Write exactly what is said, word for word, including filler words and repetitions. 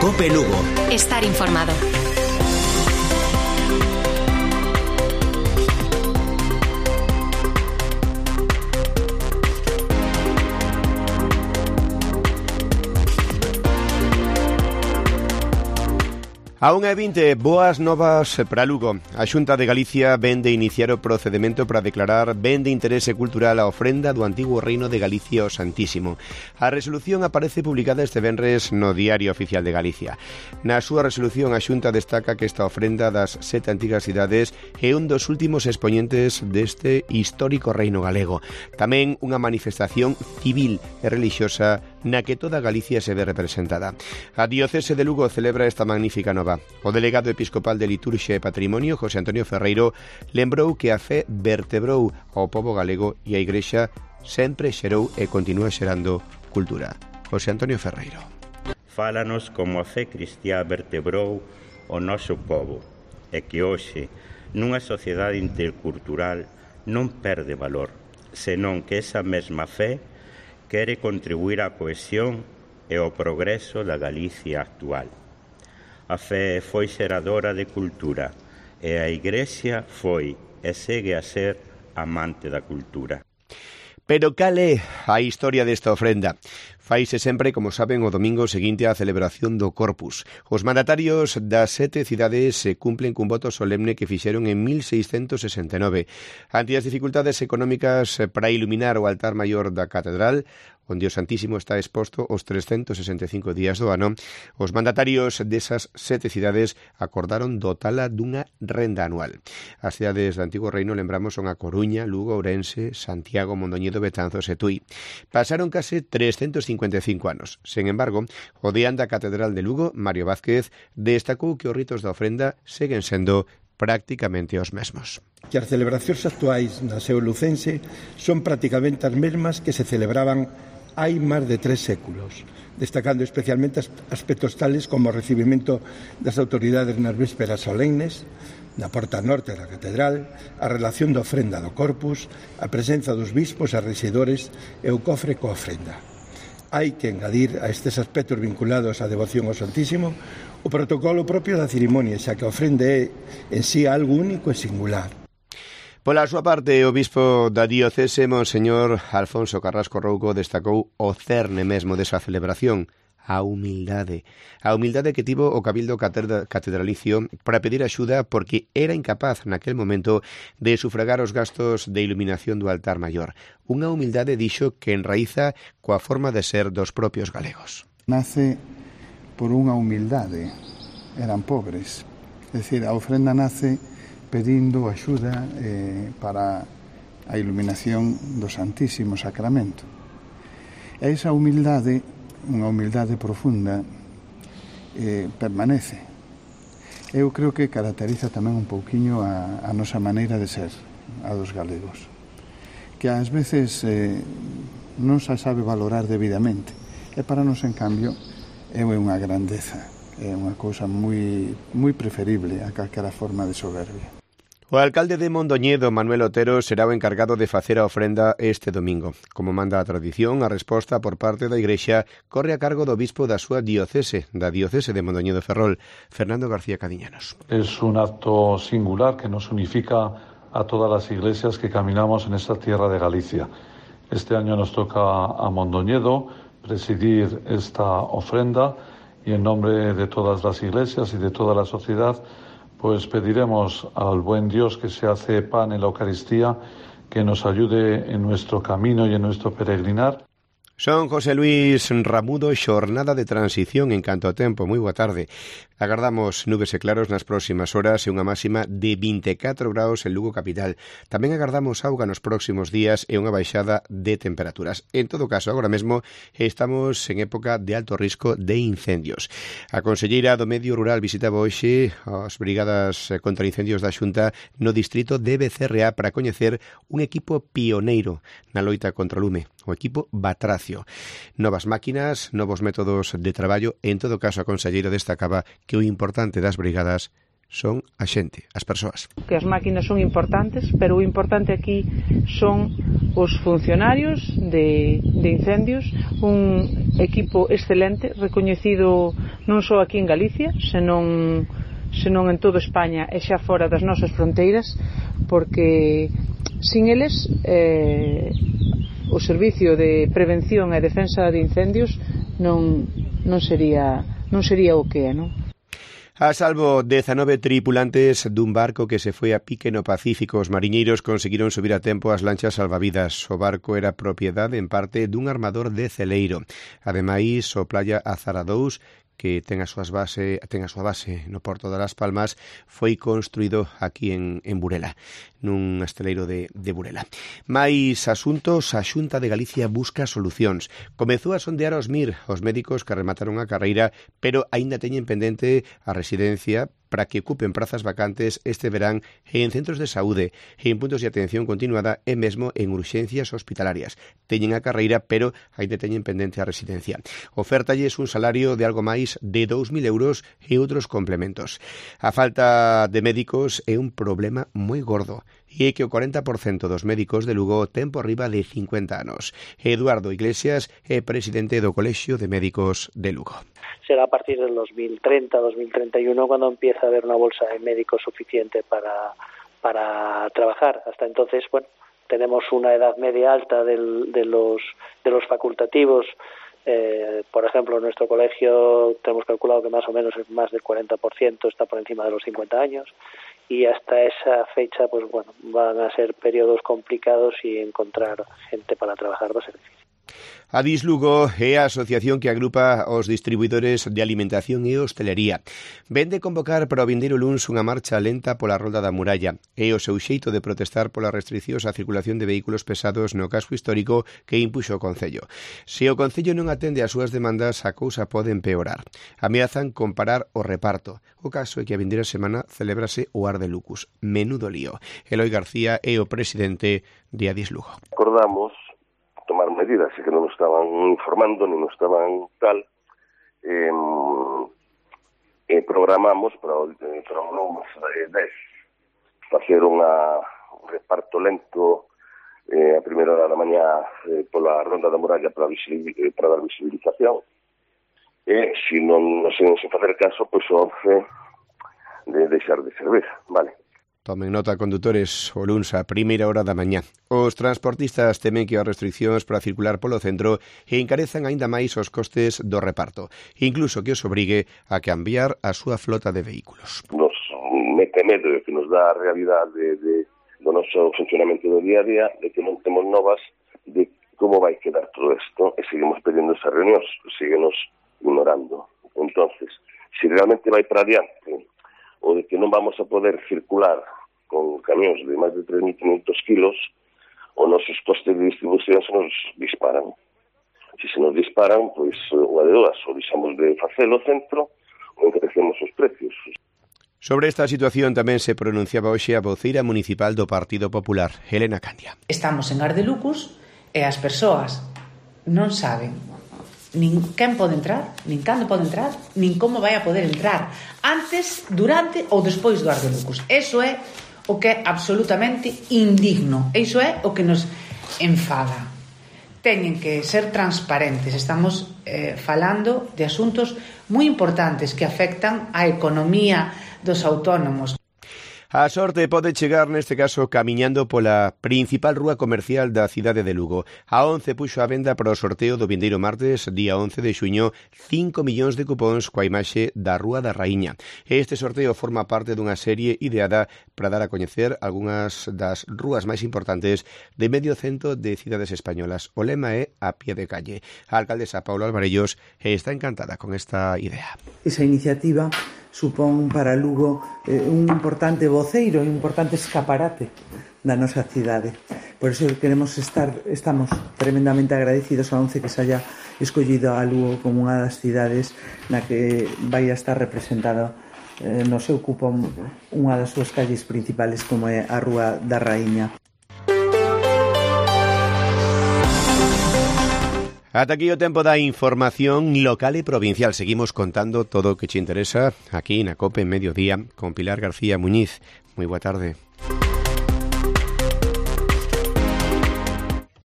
COPE Lugo. Estar informado. A unha e vinte, boas novas para Lugo. A Xunta de Galicia ven de iniciar o procedimento para declarar ben de interese cultural a ofrenda do antigo Reino de Galicia ao Santísimo. A resolución aparece publicada este venres no Diario Oficial de Galicia. Na súa resolución, a Xunta destaca que esta ofrenda das sete antigas cidades é un dos últimos expoñentes deste histórico reino galego. Tamén unha manifestación civil e relixiosa na que toda Galicia se ve representada. A Diocese de Lugo celebra esta magnífica nova. O delegado episcopal de Liturxia e Patrimonio, José Antonio Ferreiro, lembrou que a fe vertebrou ao pobo galego e a Igrexa sempre xerou e continúa xerando cultura. José Antonio Ferreiro. Fálanos como a fe cristiá vertebrou o noso pobo e que hoxe, nunha sociedade intercultural, non perde valor, senón que esa mesma fe quere contribuir á cohesión e ao progreso da Galicia actual. A fe foi xeradora de cultura e a Igrexa foi e segue a ser amante da cultura. Pero cal é a historia desta ofrenda? Faise sempre, como saben, o domingo seguinte á celebración do Corpus. Os mandatarios das sete cidades se cumplen cun voto solemne que fixeron en mil seiscentos sesenta e nove. Ante as dificultades económicas para iluminar o altar maior da catedral, onde o Santísimo está exposto os trescentos sesenta e cinco días do ano, os mandatarios desas sete cidades acordaron dotala dunha renda anual. As cidades do Antigo Reino, lembramos, son a Coruña, Lugo, Ourense, Santiago, Mondoñedo, Betanzos e Tui. Pasaron case trescentos cincuenta e cinco anos. Sen embargo, o deán da Catedral de Lugo, Mario Vázquez, destacou que os ritos da ofrenda seguen sendo prácticamente os mesmos. Que as celebracións actuais na Seu Lucense son prácticamente as mesmas que se celebraban hai máis de tres séculos, destacando especialmente aspectos tales como o recibimento das autoridades nas vésperas solemnes, na porta norte da catedral, a relación da ofrenda do Corpus, a presenza dos bispos e rexedores e o cofre coa ofrenda. Hai que engadir a estes aspectos vinculados á devoción ao Santísimo o protocolo propio da cerimonia, xa que a ofrenda é en sí algo único e singular. Pola súa parte, o bispo da diocese, Monseñor Alfonso Carrasco Rouco, destacou o cerne mesmo desa celebración, a humildade. A humildade que tivo o Cabildo Catedralicio para pedir axuda porque era incapaz naquel momento de sufragar os gastos de iluminación do altar maior. Unha humildade, dixo, que enraíza coa forma de ser dos propios galegos. Nace por unha humildade. Eran pobres. É dicir, a ofrenda nace pedindo axuda eh, para a iluminación do Santísimo Sacramento. E esa humildade, unha humildade profunda, eh, permanece. Eu creo que caracteriza tamén un pouquiño a, a nosa maneira de ser, a dos galegos, que ás veces eh, non se sabe valorar debidamente, e para nos, en cambio, é unha grandeza, é unha cousa moi, moi preferible a calquera forma de soberbia. O alcalde de Mondoñedo, Manuel Otero, será o encargado de facer a ofrenda este domingo. Como manda a tradición, a resposta por parte da Igrexa corre a cargo do bispo da súa diocese, da diocese de Mondoñedo Ferrol, Fernando García Cadiñanos. Es un acto singular que nos unifica a todas las iglesias que caminamos en esta tierra de Galicia. Este año nos toca a Mondoñedo presidir esta ofrenda y en nombre de todas las iglesias y de toda la sociedad, pues pediremos al buen Dios que se hace pan en la Eucaristía, que nos ayude en nuestro camino y en nuestro peregrinar. Son José Luis Ramudo, xornada de transición en canto ao tempo. Moi boa tarde. Agardamos nubes e claros nas próximas horas e unha máxima de vinte e catro graus en Lugo capital. Tamén agardamos auga nos próximos días e unha baixada de temperaturas. En todo caso, agora mesmo estamos en época de alto risco de incendios. A conselleira do Medio Rural visitaba hoxe as brigadas contra incendios da Xunta no distrito de Becerreá para coñecer un equipo pioneiro na loita contra o lume, o equipo Batracio. Novas máquinas, novos métodos de traballo. En todo caso, a conselleira destacaba que o importante das brigadas son a xente, as persoas. Que as máquinas son importantes, pero o importante aquí son os funcionarios de, de incendios, un equipo excelente, recoñecido non só aquí en Galicia, senón, senón en toda España e xa fora das nosas fronteiras, porque sin eles eh, o servicio de prevención e defensa de incendios non, non sería non sería o que é, non? A salvo dezanove tripulantes dun barco que se foi a pique no Pacífico, os mariñeiros conseguiron subir a tempo as lanchas salvavidas. O barco era propiedade en parte dun armador de Celeiro. Ademais, o Playa Azara dous, que ten a, súas base, ten a súa base no Porto de Las Palmas, foi construído aquí en, en Burela, nun esteleiro de, de Burela. Mais asuntos, a Xunta de Galicia busca solucións. Comezou a sondear os M I R, os médicos que remataron a carreira, pero aínda teñen pendente a residencia para que ocupen prazas vacantes este verán en centros de saúde, en puntos de atención continuada e mesmo en urxencias hospitalarias. Teñen a carreira, pero aínda teñen pendente a residencia. Ofertalles un salario de algo máis de dous mil euros e outros complementos. A falta de médicos é un problema moi gordo, e é que o corenta por cento dos médicos de Lugo ten por riba de cincuenta anos. Eduardo Iglesias é presidente do Colexio de Médicos de Lugo. Será a partir del dos mil treinta, dos mil treinta y uno cuando empieza a haber una bolsa de médicos suficiente para, para trabajar. Hasta entonces, bueno, tenemos una edad media alta del, de los de los facultativos. Eh, por ejemplo, en nuestro colegio tenemos calculado que más o menos más del cuarenta por ciento está por encima de los cincuenta años, y hasta esa fecha, pues bueno, van a ser periodos complicados y encontrar gente para trabajar va a ser difícil. Adis Lugo é a asociación que agrupa os distribuidores de alimentación e hostelería. Vende convocar para o vindeiro luns unha marcha lenta pola Rolda da Muralla. É o seu xeito de protestar polas restriccións á circulación de vehículos pesados no casco histórico que impuxo o Concello. Se o Concello non atende as súas demandas, a cousa pode empeorar. Ameazan comparar o reparto. O caso é que a vindeira semana celébrase o Ar de Lucus. Menudo lío. Eloi García é o presidente de Adis Lugo. Acordamos tomar medidas, que non nos estaban informando, non nos estaban tal, eh, eh, programamos para o, eh, para o lunes dez facer unha, un reparto lento eh, a primeira hora da mañá eh, pola Ronda da Muralla para, eh, para dar visibilización, e se non nos sen facer caso, pois o once de deixar de servir, vale. Tomen nota, condutores, o luns a primeira hora da mañá. Os transportistas temen que as restriccións para circular polo centro encarezan aínda máis os costes do reparto, incluso que os obrigue a cambiar a súa flota de vehículos. Nos mete medo que nos dá a realidade de, de, do noso funcionamento do día a día, de que non temos novas de como vai quedar todo isto, e seguimos pedindo esas reunións, síguenos ignorando. Entonces, se realmente vai para adiante, o de que non vamos a poder circular con camións de máis de tres mil quinhentos kilos, os nosos costes de distribución se nos disparan. Se se nos disparan, pois, o de dúas, o deixamos de facelo o centro, ou encarecemos os precios. Sobre esta situación tamén se pronunciaba hoxe a voceira municipal do Partido Popular, Helena Candia. Estamos en Ar de Lucus e as persoas non saben nin quen pode entrar, nin cando pode entrar, nin como vai a poder entrar antes, durante ou despois do Ar de Lucus. Eso é o que é absolutamente indigno. Iso é o que nos enfada. Teñen que ser transparentes. Estamos eh, falando de asuntos moi importantes que afectan a economía dos autónomos. A sorte pode chegar neste caso camiñando pola principal rúa comercial da cidade de Lugo. A once puxo a venda para o sorteo do vindeiro martes, día once de xuño, cinco millóns de cupóns coa imaxe da Rúa da Raíña. Este sorteo forma parte dunha serie ideada para dar a coñecer algunhas das rúas máis importantes de medio cento de cidades españolas. O lema é a pie de calle. A alcaldesa Paula Alvarellos está encantada con esta idea. Esa iniciativa supón para Lugo eh, un importante voceiro, un importante escaparate da nosa cidade. Por iso queremos estar, estamos tremendamente agradecidos a once que se haya escollido a Lugo como unha das cidades na que vai a estar representada eh, no seu cupón unha das súas calles principales como é a Rúa da Raíña. Ata aquí o tempo da información local e provincial. Seguimos contando todo o que te interesa aquí na COPE en Mediodía con Pilar García Muñiz. Moi boa tarde.